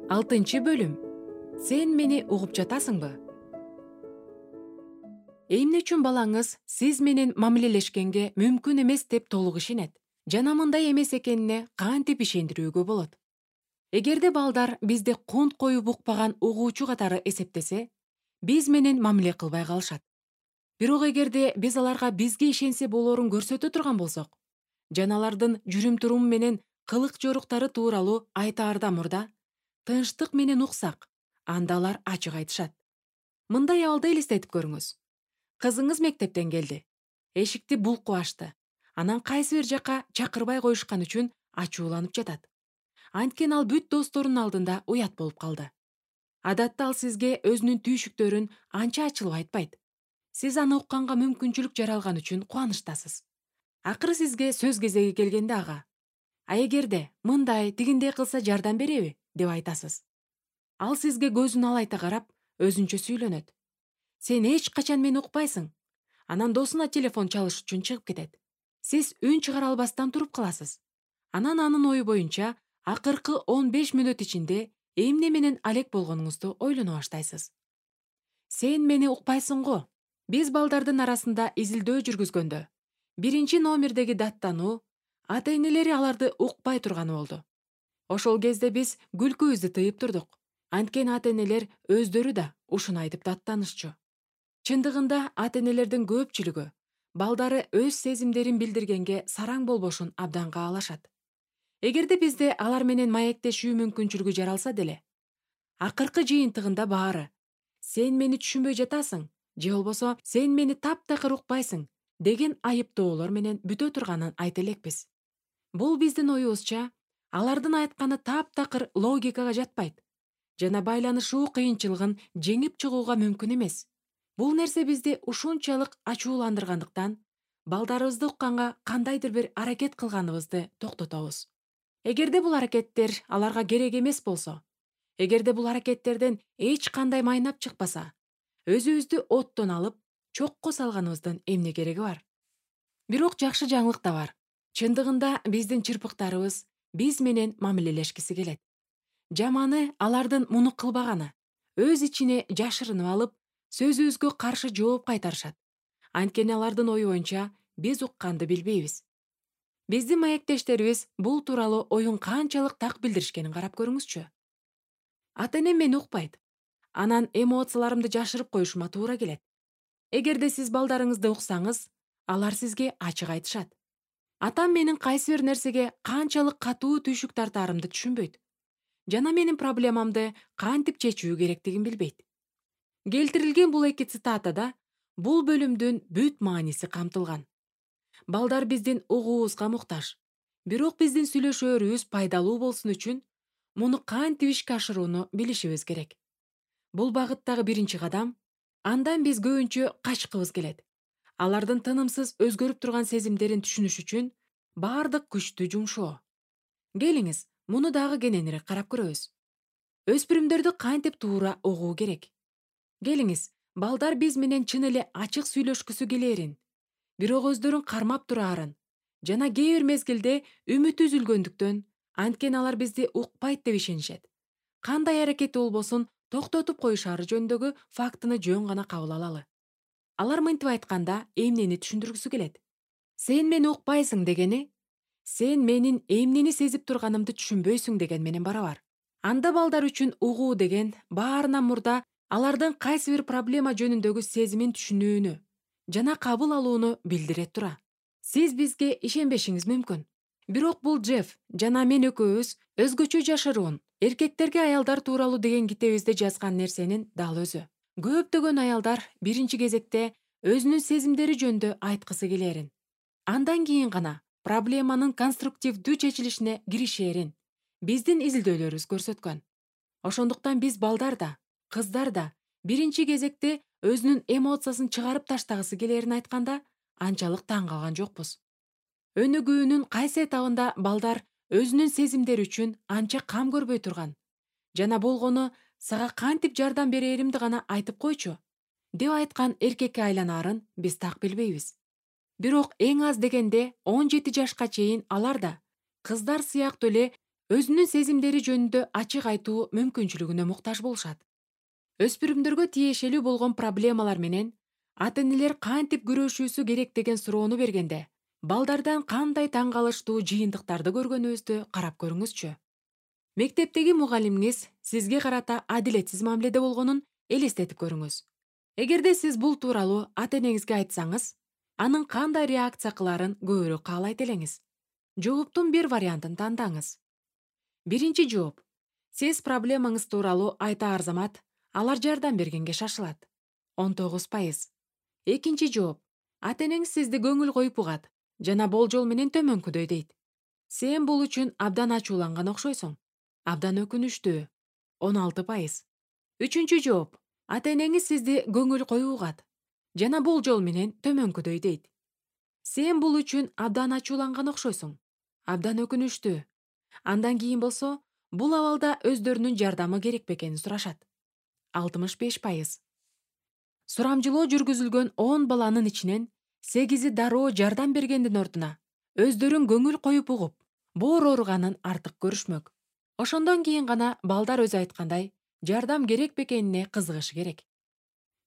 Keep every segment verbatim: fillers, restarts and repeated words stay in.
Алтынчы бөлүм. Сен мени угуп жатасыңбы? Эмне үчүн балаңыз сиз менен мамилелешкенге мүмкүн эмес деп толук ишенет жана мындай эмес экенине кантип ишендирүүгө болот? Эгерде балдар бизди кунт коюп укпаган угуучу катары эсептесе, биз менен мамиле кылбай калышат. Бирок эгерде биз аларга бизге ишенсе болоорун көрсөтө турган болсок, жана алардын жүрүм-туруму менен кылык-жоруктары тууралуу айтаарда мурда тынчтык менен уксак, анда алар ачык айтышат. Мындай абалды элестетип көрүңүз. Кызыңыз мектептен келди. Эшикти булкуп ачты. Анан кайсы бир жакка чакырбай коюшкан үчүн ачууланып жатат. Анткени ал бүт досторунун алдында уят болуп калды. Адатта ал сизге өзүнүн түйшүктөрүн анча ачылып айтпайт. Сиз аны укканга мүмкүнчүлүк жаралган үчүн кубанычтасыз. Акыры сизге сөз кезеги келгенде ага: «А эгерде мындай, тигиндей кылса жардам береби?» деп айтасыз. Ал сизге көзүн алайта карап, өзүнчө сүйлөнөт. «Сен эч качан мени укпайсың». Анан досуна телефон чалыш үчүн чыгып кетет. Сиз үн чыгара албастан туруп каласыз. Анан анын ою боюнча акыркы он беш мүнөт ичинде эмне менен алек болгонуңузду ойлоно баштайсыз. Сен мени укпайсың го. Биз балдардын арасында изилдөө жүргүзгөндө биринчи номердеги даттануу ата-энелери аларды укпай турганы болду. Ошол кезде биз күлкүбүздү тыйып турдук. Анткени ата-энелер өздөрү да ушуну айтып даттанышчу. Чындыгында ата-энелердин көпчүлүгү балдары өз сезимдерин билдиргенге сараң болбошун абдан каалашат. Эгерде бизде алар менен маектешүү мүмкүнчүлүгү жаралса деле, акыркы жыйынтыгында баары «Сен мени түшүнбөй жатасың» же болбосо «Сен мени таптакыр укпайсың» деген айыптоолор менен бүтө турганын айта элекпиз. Бул биздин оюбузча алардын айтканы таптакыр логикага жатпайт жана байланышуу кыйынчылыгын жеңип чыгууга мүмкүн эмес. Бул нерсе бизди ушунчалык ачууландыргандыктан балдарыбызды укканга кандайдыр бир аракет кылганыбызды токтотобуз. Эгерде бул аракеттер аларга керек эмес болсо, эгерде бул аракеттерден эч кандай майнап чыкпаса, өзүбүздү оттон алып, чокко салганыбыздын эмне кереги бар? Бирок жакшы жаңылык да бар. Чындыгында биздин чырпыктарыбыз биз менен мамилелешкиси келет. Жаманы алардын муну кылбаганы, өз ичине жашырынып алып, сөзүбүзгө каршы жооп кайтарышат. Анткени алардын ою боюнча биз укканды билбейбиз. Биздин маектештерибиз бул тууралуу оюн канчалык так билдиришкенин карап көрүңүзчү. Ата-энем мени укпайт. Анан эмоцияларымды жашырып коюшума туура келет. Эгерде сиз балдарыңызды уксаңыз, алар сизге ачык айтышат. Атам менин кайсы бир нерсеге канчалык катуу түйшүк тартаарымды түшүнбөйт. Жана менин проблемамды кантип чечүү керектигин билбейт. Келтирилген бул эки цитатада бул бөлүмдүн бүт мааниси камтылган. Балдар биздин угуубузга муктаж. Бирок биздин сүйлөшөөрүбүз пайдалуу болсун үчүн муну кантип ишке ашырууну билишибиз керек. Бул багыттагы биринчи кадам. Андан биз көбүнчө качкыбыз келет. Алардын тынымсыз өзгөрүп турган сезимдерин түшүнүш үчүн баардык күчтү жумшоо. Келиңиз, муну дагы кененирээк карап көрөбүз. Өспүрүмдөрдү кантип туура угуу керек? Келиңиз, балдар биз менен чын эле ачык сүйлөшкүсү келээрин, бирок өздөрүн кармап турарын жана кээ бир мезгилде үмүтү үзүлгөндүктөн, анткени алар бизди укпайт деп ишенишет, кандай аракети болбосун токтотуп коюшаары жөнүндөгү фактыны жөн гана кабыл алалы. Алар мынтип айтканда эмнени түшүндүргүсү келет? Сен мени укпайсың дегени сен менин эмнени сезип турганымды түшүнбөйсүң деген менен барабар. Анда балдар үчүн угуу деген баарынан мурда алардын кайсы бир проблема жөнүндөгү сезимин түшүнүүнү жана кабыл алууну билдире тура. Сиз бизге ишенбешиңиз мүмкүн. Бирок бул Джефф жана мен экөөбүз өзгөчө жашыруун эркектерге аялдар тууралуу деген китебибизде жазган нерсенин дал өзү. Көптөгөн аялдар биринчи кезекте өзүнүн сезимдери жөнүндө айткысы келээрин, андан кийин гана проблеманын конструктивдүү чечилишине киришээрин биздин изилдөөлөрүбүз көрсөткөн. Ошондуктан биз балдар да, кыздар да биринчи кезекте өзүнүн эмоциясын чыгарып таштагысы келээрин айтканда анчалык таң калган жокпуз. Өнүгүүнүн кайсы этабында балдар өзүнүн сезимдери үчүн анча кам көрбөй турган жана болгону сага кантип жардам берээримди гана айтып койчу деп айткан эркекке айланаарын биз так билбейбиз. Бирок эң аз дегенде он жети жашка чейин алар да кыздар сыяктуу эле өзүнүн сезимдери жөнүндө ачык айтуу мүмкүнчүлүгүнө муктаж болушат. Өспүрүмдөргө тиешелүү болгон проблемалар менен ата энелер кантип күрөшүүсү керек деген суроону бергенде, балдардан кандай таң калыштуу жыйынтыктарды көргөнүбүздү карап көрүңүзчү. Мектептеги мугалимиңиз сизге карата адилетсиз мамиледе болгонун элестетип көрүңүз. Эгерде сиз бул тууралуу ата энеңизге айтсаңыз, анын кандай реакция кылаарын көбүрөөк каалайт элеңиз. Жооптун бир вариантын тандаңыз. Биринчи жооп. Сиз проблемаңыз тууралуу айта арзамат, алар жардам бергенге шашылат. он тогуз пайыз. Экинчи жооп. Ата энеңиз сизди көңүл коюп угат жана болжол менен төмөнкүдөй дейт. Сен бул үчүн абдан ачууланган окшойсуң. Абдан өкүнүчтүү. он алты пайыз. Үчүнчү жооп. Ата энеңиз сизди көңүл коюп угат жана болжол менен төмөнкүдөй дейт. Сен бул үчүн абдан ачууланган окшойсуң. Абдан өкүнүчтүү. Андан кийин болсо, бул абалда өздөрүнүн жардамы керек бекенин сурашат. алтымыш беш пайыз. Сурамжылоо жүргүзүлгөн он баланын ичинен сегизи дароо жардам бергендин ордуна өздөрүн көңүл коюп угуп, боор ооруганын артык көрүшмөк. Ошондон кийин гана балдар өзү айткандай, жардам керек бекенине кызыгышы керек.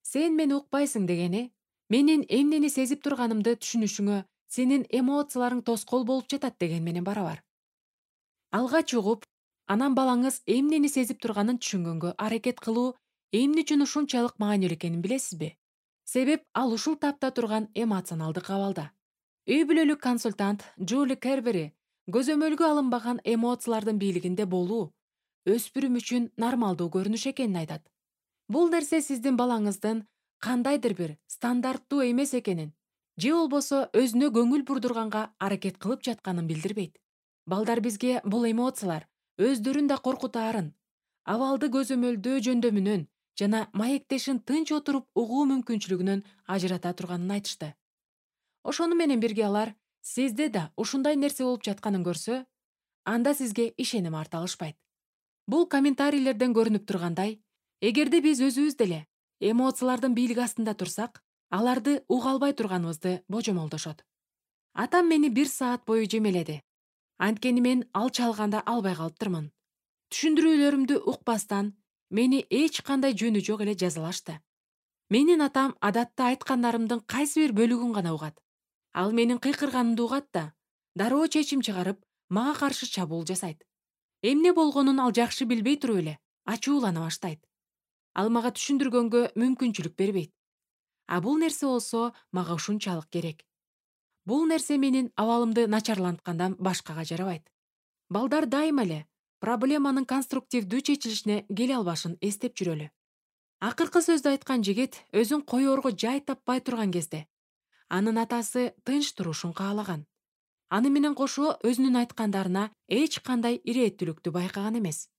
Сен мени укпайсың дегени, менин эмнени сезип турганымды түшүнүшүңө сенин эмоцияларың тоскоол болуп жатат деген менен барабар. Алгач угуп, анан балаңыз эмнени сезип турганын түшүнгөнгө аракет кылуу эмне үчүн ушунчалык маанилүү экенин билесизби? Себеп ал ушул тапта турган эмоционалдык абалда. Үй бүлөлүк консультант Джули Кербери көзөмөлгө алынбаган эмоциялардын бийлигинде болуу өспүрүм үчүн нормалдуу көрүнүш экенин айтат. Бул нерсе сиздин балаңыздын кандайдыр бир стандарттуу эмес экенин, же болбосо өзүнө көңүл бурдурганга аракет кылып жатканын билдирбейт. Балдар бизге бул эмоциялар өздөрүн да коркутаарын, абалды көзөмөлдөө жөндөмүнөн жана маектешин тынч отуруп угуу мүмкүнчүлүгүнөн ажырата турганын айтышты. Ошону менен бирге алар сизде да ушундай нерсе болуп жатканын көрсө, анда сизге ишеним арта алышпайт. Бул комментарийлерден көрүнүп тургандай, эгерде биз өзүбүз деле эмоциялардын бийлиги астында турсак, аларды уга албай турганыбызды божомолдошот. Атам мени бир саат бою жемеледи. Анткени мен ал чалганда албай калыптырмын. Түшүндүрүүлөрүмдү укпастан, мени эч кандай жөнү жок эле жазалашты. Менин атам адатта айткандарымдын кайсы бир бөлүгүн гана угат. Ал менин кыйкырганымды угат да, дароо чечим чыгарып, мага каршы чабуул жасайт. Эмне болгонун ал жакшы билбей туруп эле ачуулана баштайт. Ал мага түшүндүргөнгө мүмкүнчүлүк бербейт. А бул нерсе болсо мага ушунчалык керек. Бул нерсе менин абалымды начарланткандан башкага жарабайт. Балдар дайыма эле проблеманын конструктивдүү чечилишине келе албашын эстеп жүрөлү. Акыркы сөздү айткан жигит өзүн коёрго жай таппай турган кезде анын атасы тынч турушун каалаган. Аны менен кошо өзүнүн айткандарына эч кандай ирээттүүлүктү байкаган эмес.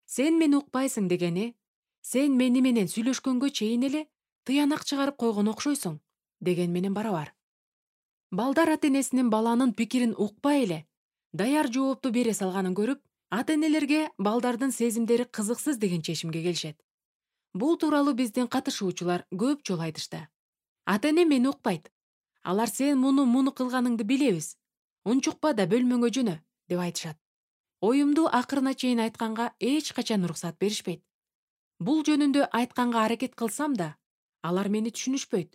Сен мени укпайсың дегени, сен мени менен сүйлөшкөнгө чейин эле тыянак чыгарып койгон окшойсуң деген менен барабар. Балдар ата энесинин баланын пикирин укпай эле даяр жоопту бере салганын көрүп, ата энелерге балдардын сезимдери кызыксыз деген чечимге келишет. Бул тууралуу биздин катышуучулар көп жолу айтышты. Ата эне мени укпайт. Алар сен муну муну кылганыңды билебиз. Унчукпа да бөлмөңө жөнө, деп айтышат. Оюмду акырына чейин айтканга эч качан уруксат беришпейт. Бул жөнүндө айтканга аракет кылсам да, алар мени түшүнүшпөйт.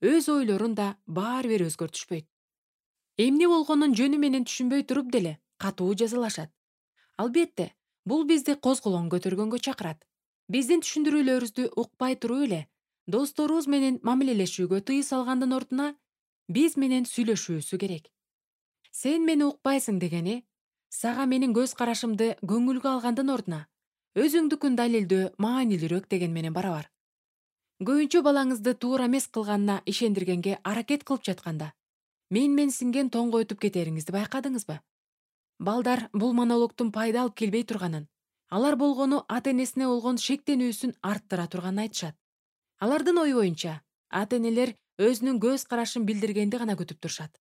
Өз ойлорун да баары бир өзгөртүшпөйт. Эмне болгонун жөнү менен түшүнбөй туруп деле катуу жазалашат. Албетте, бул бизди козголоң көтөргөнгө чакырат. Биздин түшүндүрүүлөрүбүздү укпай туруп эле досторубуз менен мамилелешүүгө тыюу салгандын ордуна биз менен сүйлөшүүсү керек. Сен мени укпайсың дегени, сага менин көз карашымды көңүлгө алгандын ордуна өзүңдүкүн далилдөө маанилүүрөөк деген менен барабар. Көбүнчө балаңызды туура эмес кылганына ишендиргенге аракет кылып жатканда, мен-менсинген тоңгойтуп кетериңизди байкадыңызбы? Балдар бул монологдун пайда алып келбей турганын, алар болгону ата энесине болгон шектенүүсүн арттыра турганын айтышат. Алардын ою боюнча, ата энелер өзүнүн көз карашын билдиргенди гана күтүп турушат.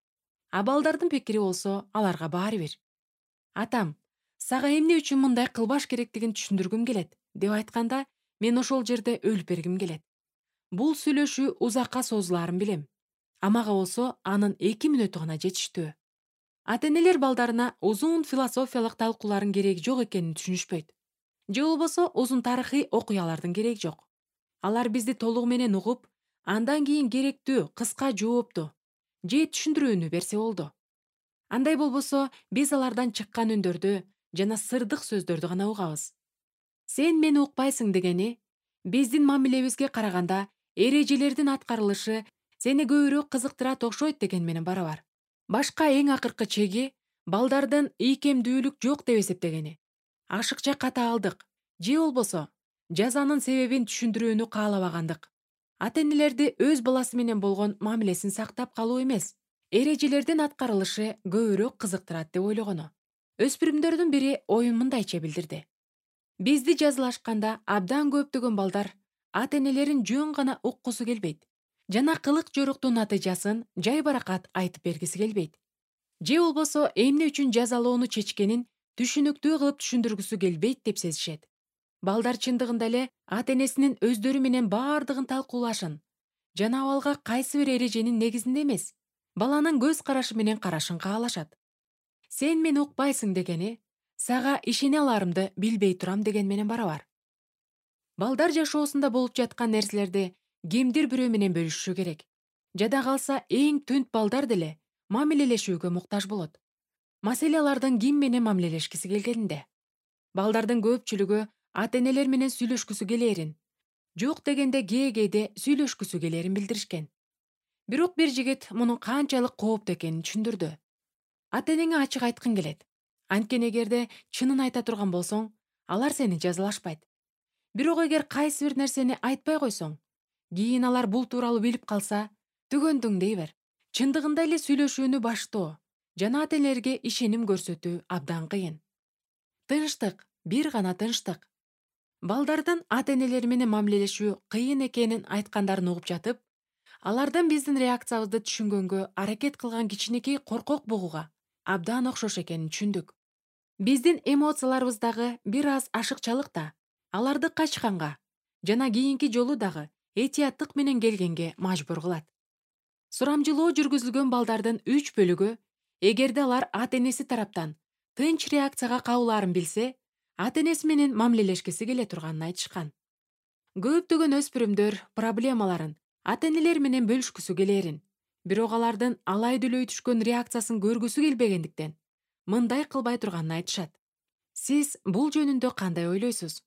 А балдардын пикири болсо аларга баары бир. Атам, сага эмне үчүн мындай кылбаш керектигин түшүндүргүм келет, деп айтканда, мен ошол жерде өлүп бергим келет. Бул сүйлөшүү узакка созулаарын билем. А мага болсо анын эки мүнөтү гана жетиштүү. Ата энелер балдарына узун философиялык талкуулардын кереги жок экенин түшүнүшпөйт. Же болбосо узун тарыхый окуялардын кереги жок. Алар бизди толугу менен угуп, андан кийин керектүү кыска жоопту же түшүндүрүүнү берсе болду. Андай болбосо биз алардан чыккан үндөрдү жана сырдык сөздөрдү гана угабыз. Сен мени укпайсың дегени биздин мамилебизге караганда эрежелердин аткарылышы сени көбүрөөк кызыктырат окшойт деген менен барабар. Башка эң акыркы чеги балдардын ийкемдүүлүк жок деп эсептегени. Ашыкча катаалдык же болбосо жазанын себебин түшүндүрүүнү каалабагандык. Ата энелерди өз баласы менен болгон мамилесин сактап калуу эмес, эрежелердин аткарылышы көбүрөөк кызыктырат деп ойлогону. Өспүрүмдөрдүн бири оюн мындайча билдирди. Бизди жазылашканда абдан көптөгөн балдар ата энелерин жөн гана уккусу келбейт жана кылык жоруктун натыйжасын жай баракат айтып бергиси келбейт. Же болбосо эмне үчүн жазалоону чечкенин түшүнүктүү кылып түшүндүргүсү келбейт деп сезишет. Балдар чындыгында эле ата энесинин өздөрү менен баардыгын талкуулашын жана абалга кайсы бир эреженин негизинде эмес, баланын көз карашы менен карашын каалашат. Сен мени укпайсың дегени сага ишене аларымды билбей турам деген менен барабар. Балдар жашоосунда болуп жаткан нерселерди кимдир бирөө менен бөлүшүшү керек. Жада калса эң түнт балдар деле мамилелешүүгө муктаж болот. Маселе алардын ким менен мамилелешкиси келгенинде. Балдардын көпчүлүгү ата энелер менен сүйлөшкүсү келээрин, жок дегенде кээ-кээде сүйлөшкүсү келээрин билдиришкен. Бирок бир жигит мунун канчалык кооптуу экенин түшүндүрдү. Ата энеңе ачык айткың келет. Анткени эгерде чынын айта турган болсоң, алар сени жазалашпайт. Бирок эгер кайсы бир нерсени айтпай койсоң, кийин алар бул тууралуу билип калса, түгөндүң дей бер. Чындыгында эле сүйлөшүүнү баштоо жана ата энелерге ишеним көрсөтүү абдан кыйын. Тынчтык, бир гана тынчтык. Балдардын ата энелери менен мамилелешүү кыйын экенин айткандарын угуп жатып, алардан биздин реакциябызды түшүнгөнгө аракет кылган кичинекей коркок бугуга абдан окшош экенин түшүндүк. Биздин эмоцияларыбыздагы бир аз ашыкчалык да аларды качканга жана кийинки жолу дагы этияттык менен келгенге мажбур кылат. Сурамжылоо жүргүзүлгөн балдардын үч бөлүгү, эгерде алар ата энеси тараптан тынч реакцияга кабылаарын билсе, ата энеси менен мамилелешкиси келе турганын айтышкан. Көптөгөн өспүрүмдөр проблемаларын ата энелер менен бөлүшкүсү келээрин, бирок алардын алай дүлөй түшкөн реакциясын көргүсү келбегендиктен мындай кылбай турганын айтышат. Сиз бул жөнүндө кандай ойлойсуз?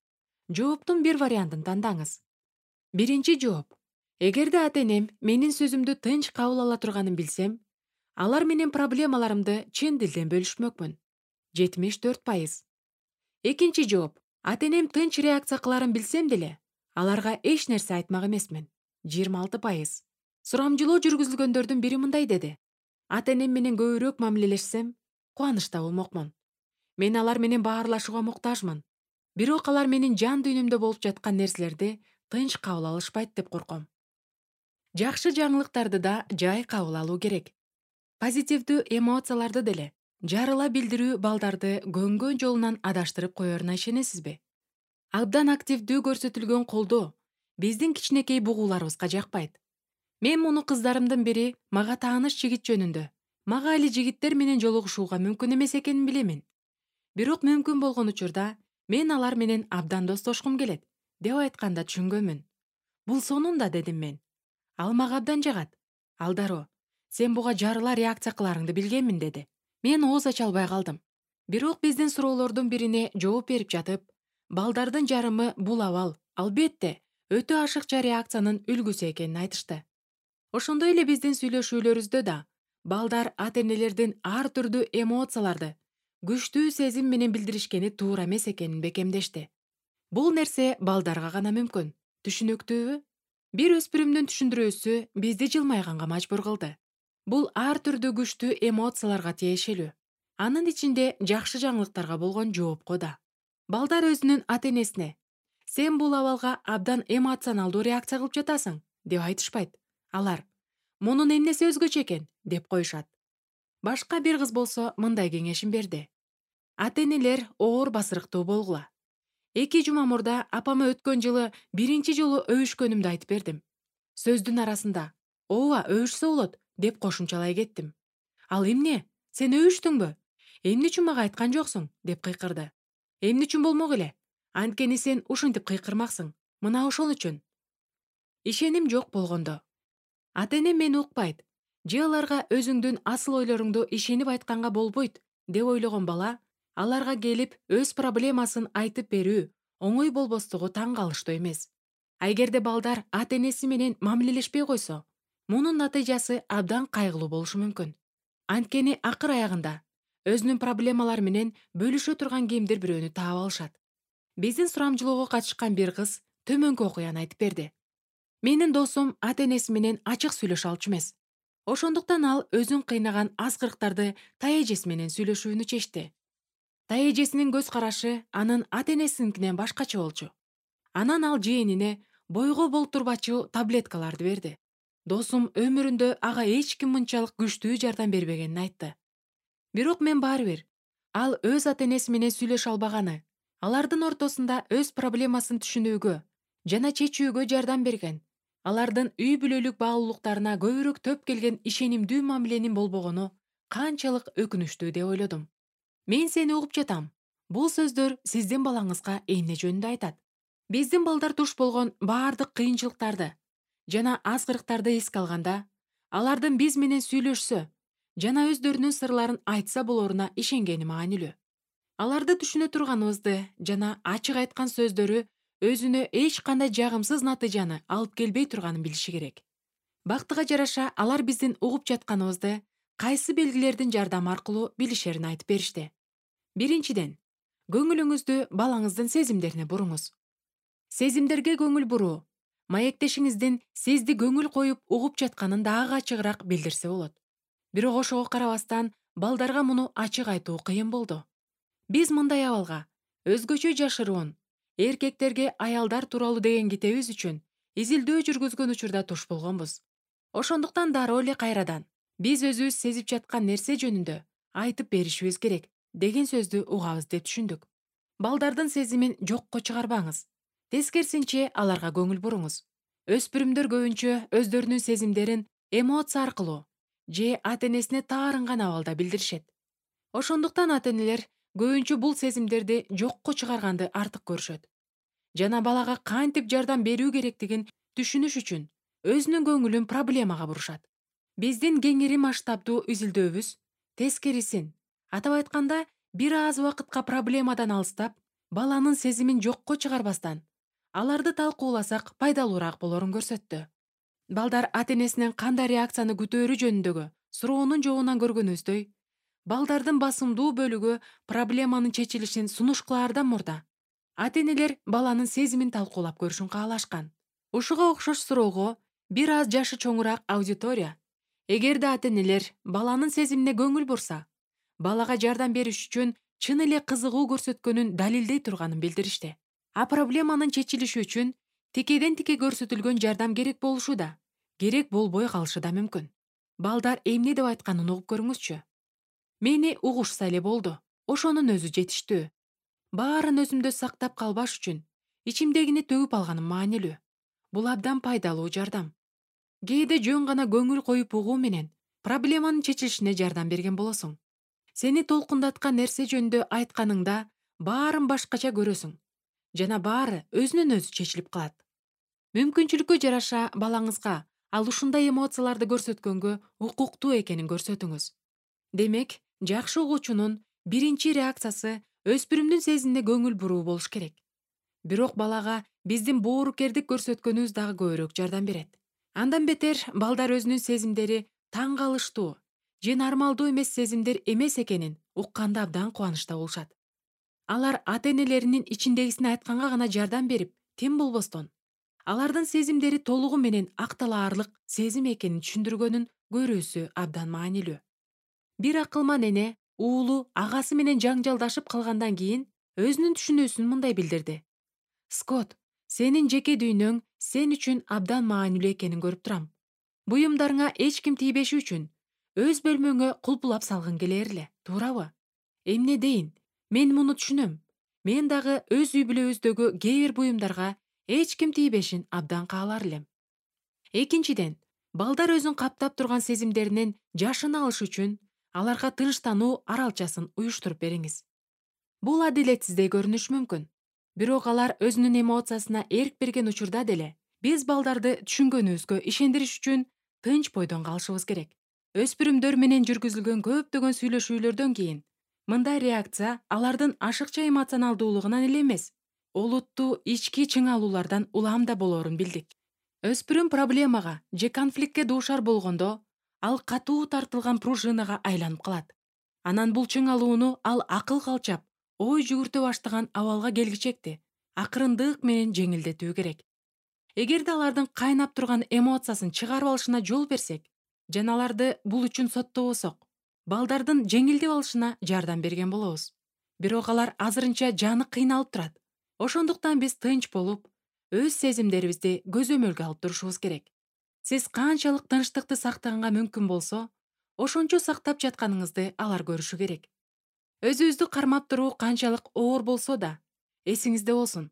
Жооптун бир вариантын тандаңыз. Биринчи жооп. Эгерде ата энем менин сөзүмдү тынч кабыл ала турганын билсем, алар менен проблемаларымды чын дилден бөлүшмөкмүн. жетимиш төрт пайыз. Экинчи жооп. Ата энем тынч реакция кыларын билсем деле, аларга эч нерсе айтмак эмесмин. жыйырма алты пайыз. Сурамжылоо жүргүзүлгөндөрдүн бири мындай деди. Ата энем менен көбүрөөк мамилелешсем, кубанычта болмокмун. Мен алар менен баарлашууга муктажмын. Бирок алар менин жан дүйнөмдө болуп жаткан нерселерди тынч кабыл алышпайт деп корком. Жакшы жаңылыктарды да жай кабыл алуу керек. Позитивдүү эмоцияларды деле жарыла билдирүү балдарды көнгөн жолунан адаштырып коеруна ишенесизби? Абдан активдүү көрсөтүлгөн колдоо биздин кичинекей бугууларыбызга жакпайт. Мен муну кыздарымдын бири мага тааныш жигит жөнүндө, мага али жигиттер менен жолугушууга мүмкүн эмес экенин билемин. Бирок мүмкүн болгон учурда мен алар менен абдан достошкум келет, деп айтканда түшүнгөнмүн. Бул сонун да, дедим мен. Ал мага абдан жагат. Ал дароо, сен буга жарыла реакция кыларыңды билгенмин, деди. Мен ооз ача албай калдым. Бирок биздин суроолордун бирине жооп берип жатып, балдардын жарымы бул абал, албетте, өтө ашыкча реакциянын үлгүсү экенин айтышты. Ошондой эле биздин сүйлөшүүлөрүбүздө да балдар ата энелердин ар түрдүү эмоцияларды күчтүү сезим менен билдиришкени туура эмес экенин бекемдешти. Бул нерсе балдарга гана мүмкүн. Түшүнүктүүбү? Бир өспүрүмдүн түшүндүрүүсү бизди жылмайганга мажбур кылды. Бул ар түрдүү күчтүү эмоцияларга тиешелүү. Анын ичинде жакшы жаңылыктарга болгон жоопко да. Балдар өзүнүн ата энесине «Сен бул абалга абдан эмоционалдуу реакция кылып жатасың» деп айтышпайт. Алар «Мунун эмнеси өзгөчө экен?» деп коюшат. Башка бир кыз болсо мындай кеңешин берди. Ата энелер оор басырыктуу болгула. Эки жума мурда апама өткөн жылы биринчи жолу өбүшкөнүмдү айтып бердим. Сөздүн арасында «Ооба, өбүшсө болот» деп кошумчалай кеттим. Ал эмне? Сен өбүштүңбү? Эмне үчүн мага айткан жоксуң? Деп кыйкырды. Эмне үчүн болмок эле? Анткени сен ушинтип кыйкырмаксың. Мына ошол үчүн. Ишеним жок болгондо. Ата-энем мени укпайт. Же аларга өзүңдүн асыл ойлоруңду ишенип айтканга болбойт деп ойлогон бала аларга келип өз проблемасын айтып берүү оңой болбостугу таң калыштуу эмес. А эгерде балдар ата-энеси менен мамилелешпей койсо, мунун натыйжасы абдан кайгылуу болушу мүмкүн. Анткени акыр аягында өзүнүн проблемалары менен бөлүшө турган кимдир бирөөнү таап алышат. Биздин сурамжылоого катышкан бир кыз төмөнкү окуяны айтып берди. Менин досум ата-энеси менен ачык сүйлөшө алчу эмес. Ошондуктан ал өзүн кыйнаган аскырыктарды тайэжеси менен сүйлөшүүнү чечти. Тайэжесинин көз карашы анын ата-энесинкинен башкача болчу. Анан ал жээнине бойго болтурбачу таблеткаларды берди. Досум өмүрүндө ага эч ким мынчалык күчтүү жардам бербегенин айтты. Бирок мен баары бир ал өз ата-энеси менен сүйлөшө албаганы, алардын ортосунда өз проблемасын түшүнүүгө жана чечүүгө жардам берген, алардын үй бүлөлүк баалуулуктарына көбүрөөк төп келген ишенимдүү мамиленин болбогону канчалык өкүнүчтүү деп ойлодум. Мен сени угуп жатам. Бул сөздөр сиздин балаңызга эмне жөнүндө айтат? Биздин балдар туш болгон баардык кыйынчылыктарды жана аскырыктарды эске алганда, алардын биз менен сүйлөшсө жана өздөрүнүн сырларын айтса болоруна ишенгени маанилүү. Аларды түшүнө турганыбызды жана ачык айткан сөздөрү өзүнө эч кандай жагымсыз натыйжаны алып келбей турганын билиши керек. Бактыга жараша алар биздин угуп жатканыбызды кайсы белгилердин жардамы аркылуу билишерин айтып беришти. Биринчиден, көңүлүңүздү балаңыздын сезимдерине буруңуз. Сезимдерге көңүл буруу маектешиңиздин сизди көңүл коюп угуп жатканын дагы ачыгыраак билдирсе болот. Бирок ошого карабастан балдарга муну ачык айтуу кыйын болду. Биз мындай абалга өзгөчө жашыруун эркектерге аялдар тууралуу деген китебибиз үчүн изилдөө жүргүзгөн учурда туш болгонбуз. Ошондуктан дароо эле кайрадан биз өзүбүз сезип жаткан нерсе жөнүндө айтып беришибиз керек деген сөздү угабыз деп түшүндүк. Балдардын сезимин жокко чыгарбаңыз. Тескерисинче аларга көңүл буруңуз. Өспүрүмдөр көбүнчө өздөрүнүн сезимдерин эмоция аркылуу же ата-энесине таарынган абалда билдиришет. Ошондуктан ата-энелер көбүнчө бул сезимдерди жокко чыгарганды артык көрүшөт. Жана балага кантип жардам берүү керектигин түшүнүш үчүн өзүнүн көңүлүн проблемага бурушат. Биздин кеңири масштабдуу изилдөөбүз тескерисин, атап айтканда, бир аз убакытка проблемадан алыстап, баланын сезимин жокко чыгарбастан, аларды талкууласак пайдалуураак болорун көрсөттү. Балдар ата-энесинен кандай реакцияны күтөөрү жөнүндөгү суроонун жообунан көргөнүбүздөй, балдардын басымдуу бөлүгү проблеманын чечилишин сунуш кылаардан мурда ата-энелер баланын сезимин талкуулап көрүшүн каалашкан. Ушуга окшош суроого бир аз жашы чоңураак аудитория, эгерде ата-энелер баланын сезимине көңүл бурса, балага жардам бериш үчүн чын эле кызыгуу көрсөткөнүн далилдей турганын билдиришти. А проблеманын чечилиши үчүн тикеден тике көрсөтүлгөн жардам керек болушу да, керек болбой калышы да мүмкүн. Балдар эмне деп айтканын угуп көрүңүзчү. Мени угушса эле болду. Ошонун өзү жетиштүү. Баарын өзүмдө сактап калбаш үчүн ичимдегини төгүп алганым маанилүү. Бул абдан пайдалуу жардам. Кээде жөн гана көңүл коюп угуу менен проблеманын чечилишине жардам берген болосуң. Сени толкундаткан нерсе жөнүндө айтканыңда баарын башкача көрөсүң жана баары өзүнөн өзү чечилип калат. Мүмкүнчүлүккө жараша балаңызга ал ушундай эмоцияларды көрсөткөнгө укуктуу экенин көрсөтүңүз. Демек, жакшы угуучунун биринчи реакциясы өспүрүмдүн сезимине көңүл буруу болуш керек. Бирок балага биздин боорукердик көрсөткөнүбүз дагы көбүрөөк жардам берет. Андан бетер балдар өзүнүн сезимдери таң калыштуу же нормалдуу эмес сезимдер эмес экенин укканда абдан кубанычта болушат. Алар ата-энелеринин ичиндегисин айтканга гана жардам берип, тим болбостон, алардын сезимдери толугу менен акталаарлык сезим экенин түшүндүргөнүн көрүүсү абдан маанилүү. Бир акылман эне уулу агасы менен жаңжалдашып калгандан кийин өзүнүн түшүнүүсүн мындай билдирди. Скот, сенин жеке дүйнөң сен үчүн абдан маанилүү экенин көрүп турам. Буюмдарыңа эч ким тийбеши үчүн өз бөлмөңө кулпулап салгың келер эле, туурабы? Эмне дейин? Мен муну түшүнөм. Мен дагы өз үй бүлөбүздөгү кээ бир буюмдарга эч ким тийбешин абдан каалар элем. Экинчиден, балдар өзүн каптап турган сезимдеринен жашына алыш үчүн аларга тынчтануу аралчасын уюштуруп бериңиз. Бул адилетсиздей көрүнүшү мүмкүн. Бирок алар өзүнүн эмоциясына эрк берген учурда деле биз балдарды түшүнгөнүбүзгө ишендириш үчүн тынч бойдон калышыбыз керек. Өспүрүмдөр менен жүргүзүлгөн көптөгөн сүйлөшүүлөрдөн кийин мындай реакция алардын ашыкча эмоционалдуулугунан эле эмес, олуттуу ички чыңалуулардан улам да болоорун билдик. Өспүрүм проблемага же конфликтке дуушар болгондо ал катуу тартылган пружинага айланып калат. Анан бул чыңалууну ал акыл калчап, ой жүгүртө баштаган абалга келгичекти акырындык менен жеңилдетүү керек. Эгерде алардын кайнап турган эмоциясын чыгарып алышына жол берсек жана аларды бул үчүн соттобосок, балдардын жеңилдеп алышына жардам берген болобуз. Бирок алар азырынча жаны кыйналып турат. Ошондуктан биз тынч болуп, өз сезимдерибизди көзөмөлгө алып турушубуз керек. Сиз канчалык тынчтыкты сактаганга мүмкүн болсо, ошончо сактап жатканыңызды алар көрүшү керек. Өзүбүздү кармап туруу канчалык оор болсо да, эсиңизде болсун.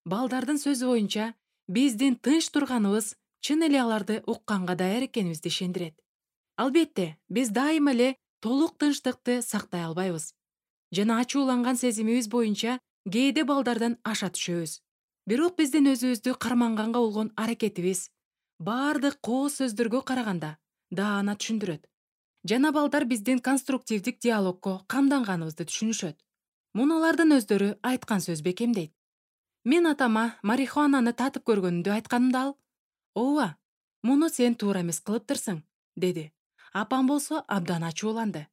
Балдардын сөзү боюнча, биздин тынч турганыбыз чын эле аларды укканга даяр экенибизди ишендирет. Албетте, биз дайыма эле толук тынчтыкты сактай албайбыз. Жана ачууланган сезимибиз боюнча кээде балдардан аша түшөбүз. Бирок биздин өзүбүздү карманганга болгон аракетибиз баардык кооз сөздөргө караганда даана түшүндүрөт. Жана балдар биздин конструктивдик диалогко камданганыбызды түшүнүшөт. Муну алардын өздөрү айткан сөз бекемдейт. Мен атама марихуананы татып көргөнүмдү айтканымда ал: «Ооба, муну сен туура эмес кылыптырсың», деди. Апам болсо абдан ачууланды.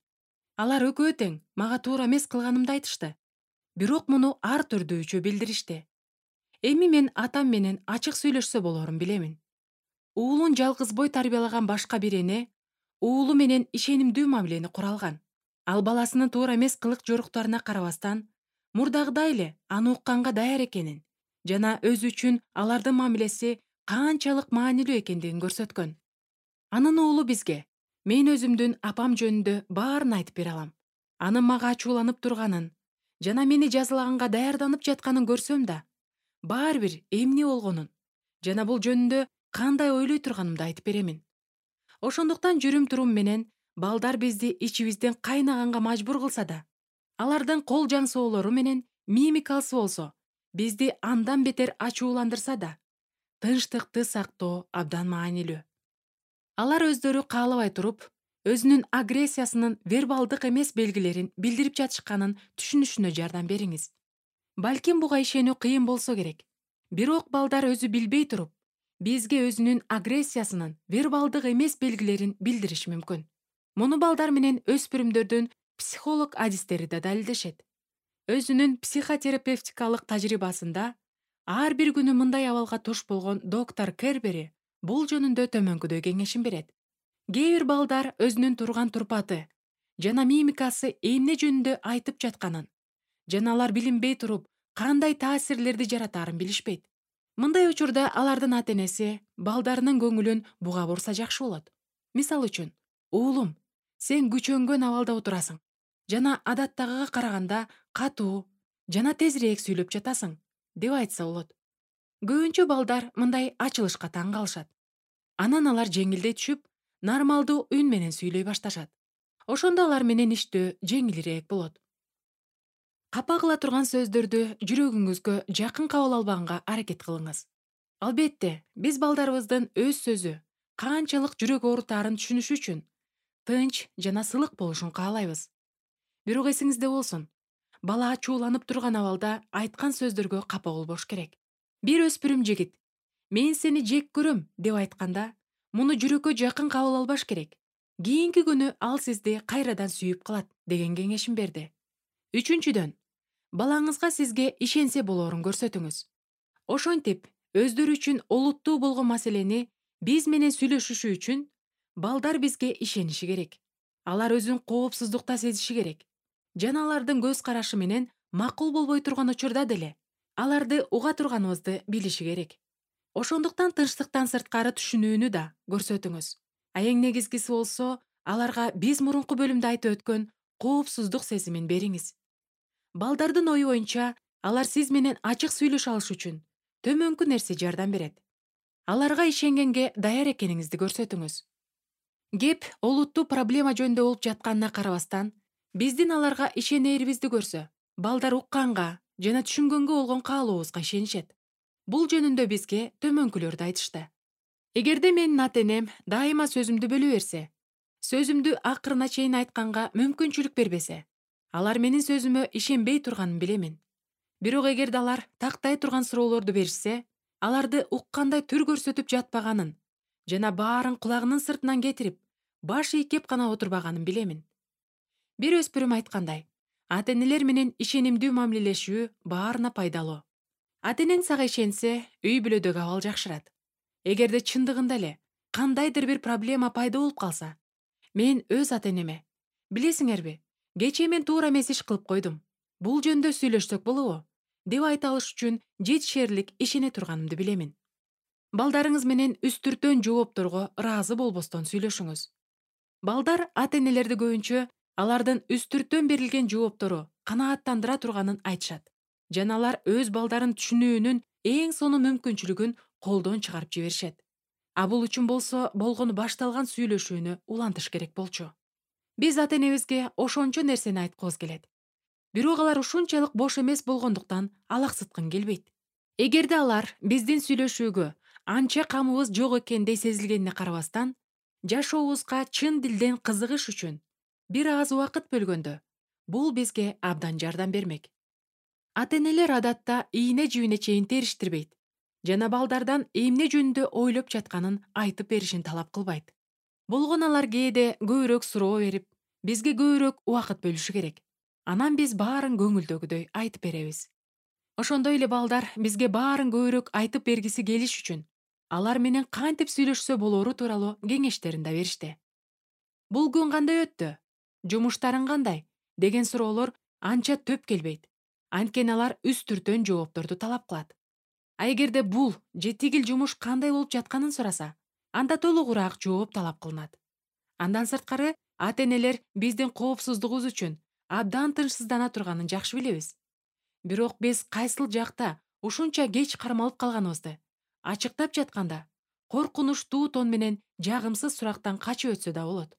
Алар экөө тең мага туура эмес кылганымды айтышты. Бирок муну ар түрдүүчө билдиришти. Эми мен атам менен ачык сүйлөшсө болорун билемин. Уулун жалгыз бой тарбиялаган башка бир эне уулу менен ишенимдүү мамилени кура алган. Ал баласынын туура эмес кылык жоруктарына карабастан, мурдагыдай эле аны укканга даяр экенин жана өзү үчүн алардын мамилеси канчалык маанилүү экендигин көрсөткөн. Анын уулу бизге мен өзүмдүн апам жөнүндө баарын айтып бере алам. Анын мага ачууланып турганын жана мени жазалаганга даярданып жатканын көрсөм да, баары бир эмне болгонун жана бул жөнүндө кандай ойлой турганымды айтып беремин. Ошондуктан жүрүм-турум менен балдар бизди ичибизден кайнаганга мажбур кылса да, алардын кол жаңсоолору менен мимикасы болсо бизди андан бетер ачууландырса да, тынчтыкты сактоо абдан маанилүү. Алар өздөрү каалабай туруп, өзүнүн агрессиясынын вербалдык эмес белгилерин билдирип жатышканын түшүнүшүнө жардам бериңиз. Балким буга ишенүү кыйын болсо керек. Бирок балдар өзү билбей туруп, бизге өзүнүн агрессиясынын вербалдык эмес белгилерин билдириши мүмкүн. Муну балдар менен өспүрүмдөрдүн психолог адистери да далилдешет. Өзүнүн психотерапевтикалык тажрыйбасында ар бир күнү мындай абалга туш болгон доктор Кербери бул жөнүндө төмөнкүдөй кеңешин берет. Кээ бир балдар өзүнүн турган турпаты жана мимикасы эмне жөнүндө айтып жатканын жана алар билинбей туруп кандай таасирлерди жаратаарын билишпейт. Мындай учурда алардын ата-энеси балдарынын көңүлүн буга бурса жакшы болот. Мисалы үчүн, уулум, сен күчөнгөн абалда отурасың жана адаттагыга караганда катуу жана тезирээк сүйлөп жатасың, деп айтса болот. Көбүнчө балдар мындай ачылышка таң калышат. Анан алар жеңилдей түшүп, нормалдуу үн менен сүйлөй башташат. Ошондо алар менен иштөө жеңилирээк болот. Капа кыла турган сөздөрдү жүрөгүңүзгө жакын кабыл албаганга аракет кылыңыз. Албетте, биз балдарыбыздын өз сөзү канчалык жүрөк оорутаарын түшүнүш үчүн тынч жана сылык болушун каалайбыз. Бирок эсиңизде болсун, бала ачууланып турган абалда айткан сөздөргө капа болбош керек. Бир өспүрүм жигит «Мен сени жек көрөм» деп айтканда, муну жүрөккө жакын кабыл албаш керек. Кийинки күнү ал сизди кайрадан сүйүп калат деген кеңешин берди. Үчүнчүдөн, балаңызга сизге ишенсе болоорун көрсөтүңүз. Ошентип, өздөрү үчүн олуттуу болгон маселени биз менен сүйлөшүшү үчүн балдар бизге ишениши керек. Алар өзүн коопсуздукта сезиши керек. Жана алардын көз карашы менен макул болбой турган учурда деле аларды уга турганыбызды билиши керек. Ошондуктан тынчтыктан сырткары түшүнүүнү да көрсөтүңүз. А эң негизгиси болсо, аларга биз мурунку бөлүмдө айтып өткөн коопсуздук сезимин бериңиз. Балдардын ою боюнча, алар сиз менен ачык сүйлөшө алыш үчүн төмөнкү нерсе жардам берет. Аларга ишенгенге даяр экениңизди көрсөтүңүз. Кеп олуттуу проблема жөнүндө болуп жатканына карабастан, биздин аларга ишенээрибизди көрсө, балдар укканга жана түшүнгөнгө болгон каалообузга ишенишет. Бул жөнүндө бизге төмөнкүлөрдү айтышты. Эгерде менин ата-энем дайыма сөзүмдү бөлө берсе, сөзүмдү акырына чейин айтканга мүмкүнчүлүк бербесе, алар менин сөзүмө ишенбей турганын билемин. Бирок эгерде алар тактай турган суроолорду беришсе, аларды уккандай түр көрсөтүп жатпаганын жана баарын кулагынын сыртынан кетирип, баш ийкеп гана отурбаганын билемин. Бир өспүрүм айткандай, ата-энелер менен ишенимдүү мамилелешүү баарына пайдалуу. Ата-энең сага ишенсе, үй бүлөдөгү абал жакшырат. Эгерде чындыгында эле кандайдыр бир проблема пайда болуп калса, мен өз ата-энеме: "Билесиңерби, кечээ мен туура эмес иш кылып койдум. Бул жөнүндө сүйлөшсөк болобу?" деп айта алыш үчүн жетишерлик ишене турганымды билемин. Балдарыңыз менен үстүртөн жоопторго ыраазы болбостон сүйлөшүңүз. Балдар ата-энелерди көбүнчө алардын үстүртөн берилген жооптору канааттандыра турганын айтышат, жана алар өз балдарын түшүнүүнүн эң сонун мүмкүнчүлүгүн колдон чыгарып жиберишет. А бул үчүн болсо болгону башталган сүйлөшүүнү улантыш керек болчу. Биз ата-энебизге ошончо нерсени айткыбыз келет. Бирок алар ушунчалык бош эмес болгондуктан алаксыткын келбейт. Эгерде алар биздин сүйлөшүүгө анча камыбыз жок экендей сезилгенине карабастан, жашообузга чын дилден кызыгыш үчүн бир аз убакыт бөлгөндө, бул бизге абдан жардам бермек. Ата-энелер адатта ийне жибине чейин териштирбейт жана балдардан эмне жөнүндө ойлоп жатканын айтып беришин талап кылбайт. Болгону алар кээде көбүрөөк суроо берип, бизге көбүрөөк убакыт бөлүшү керек. Анан биз баарын көңүлдөгүдөй айтып беребиз. Ошондой эле балдар бизге баарын көбүрөөк айтып бергиси келиш үчүн алар менен кантип сүйлөшсө болору тууралуу кеңештерин да беришти. Бул күн кандай өттү? Жумуштарың кандай? Деген суроолор анча төп келбейт. Анткени алар үстүртөн жоопторду талап кылат. А эгерде бул же тигил жумуш кандай болуп жатканын сураса, анда толугураак жооп талап кылынат. Андан сырткары, ата-энелер биздин коопсуздугубуз үчүн абдан тынчсыздана турганын жакшы билебиз. Бирок биз кайсыл жакта ушунча кеч кармалып калганыбызды ачыктап жатканда, коркунучтуу тон менен жагымсыз сурактан качып өтсө да болот.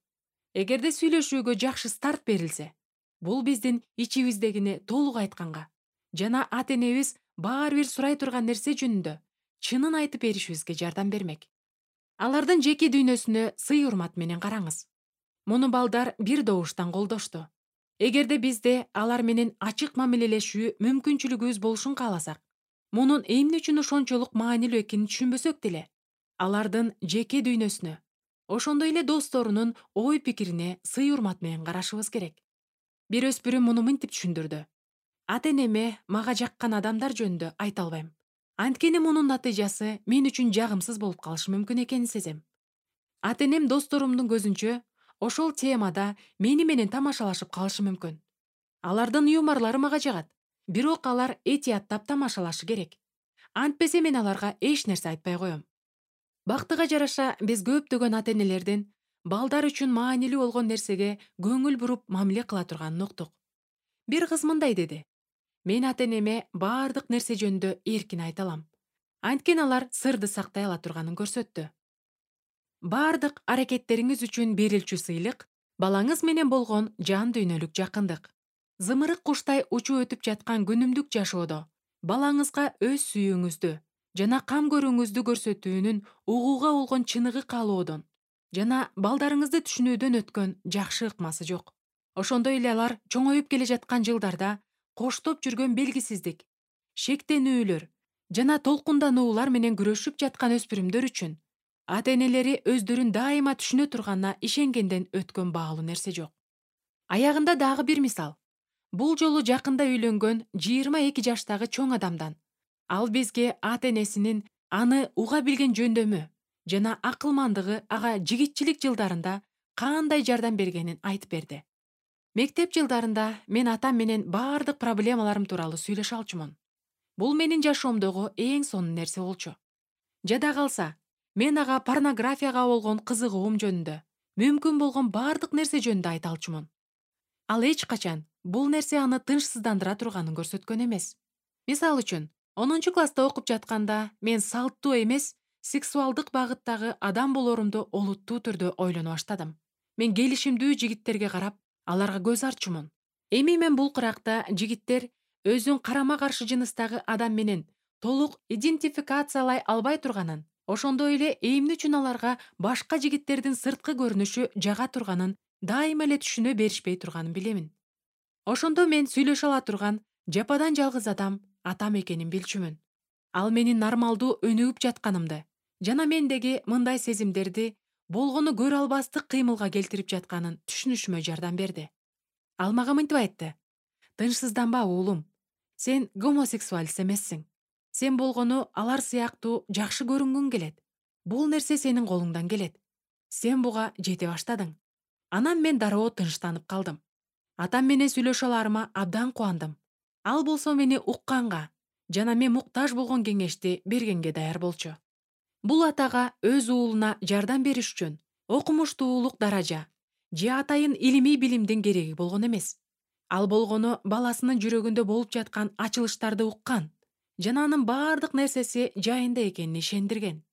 Эгерде сүйлөшүүгө жакшы старт берилсе, бул биздин ичибиздегини толук айтканга жана ата-энебиз баары бир сурай турган нерсе жөнүндө чынын айтып беришибизге жардам бермек. Алардын жеке дүйнөсүнө сый урмат менен караңыз. Муну балдар бир добуштан колдошту. Эгерде бизде алар менен ачык мамилелешүү мүмкүнчүлүгүбүз болушун кааласак, мунун эмне үчүн ошончолук маанилүү экенин түшүнбөсөк деле, алардын жеке дүйнөсүнө, ошондой эле досторунун ой пикирине сый урмат менен карашыбыз керек. Бир өспүрүм муну мынтип түшүндүрдү: ата-энеме мага жаккан адамдар жөнүндө айта албайм. Анткени мунун натыйжасы мен үчүн жагымсыз болуп калышы мүмкүн экенин сезем. Ата-энем досторумдун көзүнчө ошол темада мени менен тамашалашып калышы мүмкүн. Алардын юморлору мага жагат, бирок алар этияттап тамашалашы керек. Антпесе мен аларга эч нерсе айтпай коем. Бактыга жараша биз көптөгөн ата-энелердин балдар үчүн маанилүү болгон нерсеге көңүл буруп мамиле кыла турганын уктук. Бир кыз мындай деди: "Мен ата-энеме баардык нерсе жөнүндө эркин айта алам. Анткени алар сырды сактай ала турганын көрсөттү. Баардык аракеттериңиз үчүн берилчү сыйлык балаңыз менен болгон жан дүйнөлүк жакындык. Зымырык куштай учуп өтүп жаткан күнүмдүк жашоодо балаңызга өз сүйүүңүздү жана кам көрүүңүздү көрсөтүүнүн угууга болгон чыныгы каалоодон жана балдарыңызды түшүнүүдөн өткөн жакшы ыкмасы жок. Ошондой эле алар чоңоюп келе жаткан жылдарда коштоп жүргөн белгисиздик, шектенүүлөр жана толкундануулар менен күрөшүп жаткан өспүрүмдөр үчүн ата-энелери өздөрүн дайыма түшүнө турганына ишенгенден өткөн баалуу нерсе жок. Аягында дагы бир мисал. Бул жолу жакында үйлөнгөн жыйырма эки жаштагы чоң адамдан. Ал бизге ата-энесинин аны уга билген жөндөмү жана акылмандыгы ага жигитчилик жылдарында кандай жардам бергенин айтып берди. Мектеп жылдарында мен атам менен баардык проблемаларым тууралуу сүйлөшө алчумун. Бул менин жашоомдогу эң сонун нерсе болчу. Жада калса, мен ага порнографияга болгон кызыгуум жөнүндө, мүмкүн болгон баардык нерсе жөнүндө айта алчумун. Ал эч качан бул нерсе аны тынчсыздандыра турганын көрсөткөн эмес. Мисалы үчүн, онунчу класста окуп жатканда мен салттуу эмес, сексуалдык багыттагы адам болорумду олуттуу түрдө ойлоно баштадым. Мен келишимдүү жигиттерге карап, аларга көз ачуумун. Эми мен бул кыракта жигиттер өзүн карама каршы жыныстагы адам менен толук идентификациялай албай турганын, ошондой эле эмне үчүн аларга башка жигиттердин сырткы көрүнүшү жага турганын дайыма эле түшүнө беришпей турганын билемин. Ошондо мен сүйлөшө ала турган жападан жалгыз адам атам экенин билчүмүн. Ал менин нормалдуу өнүгүп жатканымды жана мендеги мындай сезимдерди болгону көрө албастык кыймылга келтирип жатканын түшүнүшүмө жардам берди. Ал мага мынтип айтты: тынчсызданба уулум, сен гомосексуалист эмессиң. Сен болгону алар сыяктуу жакшы көрүнгүң келет. Бул нерсе сенин колуңдан келет. Сен буга жете баштадың. Анан мен дароо тынчтанып калдым. Атам менен сүйлөшө аларыма абдан кубандым. Ал болсо мени укканга жана мен муктаж болгон кеңешти бергенге даяр болчу. Бул атага өз уулуна жардам бериш үчүн окумуштуулук даража же атайын илимий билимдин кереги болгон эмес. Ал болгону баласынын жүрөгүндө болуп жаткан ачылыштарды уккан жана анын баардык нерсеси жайында экенине ишендирген.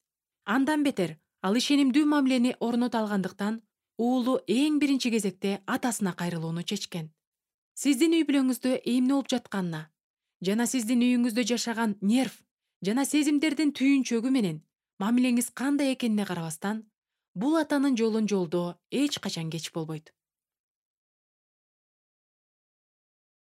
Андан бетер ал ишенимдүү мамилени орното алгандыктан уулу эң биринчи кезекте атасына кайрылууну чечкен. Сиздин үй бүлөңүздө эмне болуп жатканына жана сиздин үйүңүздө жашаган нерв жана сезимдердин түйүнчөгү менен мамилеңиз кандай экенине карабастан, бул атанын жолун жолдоо эч качан кеч болбойт.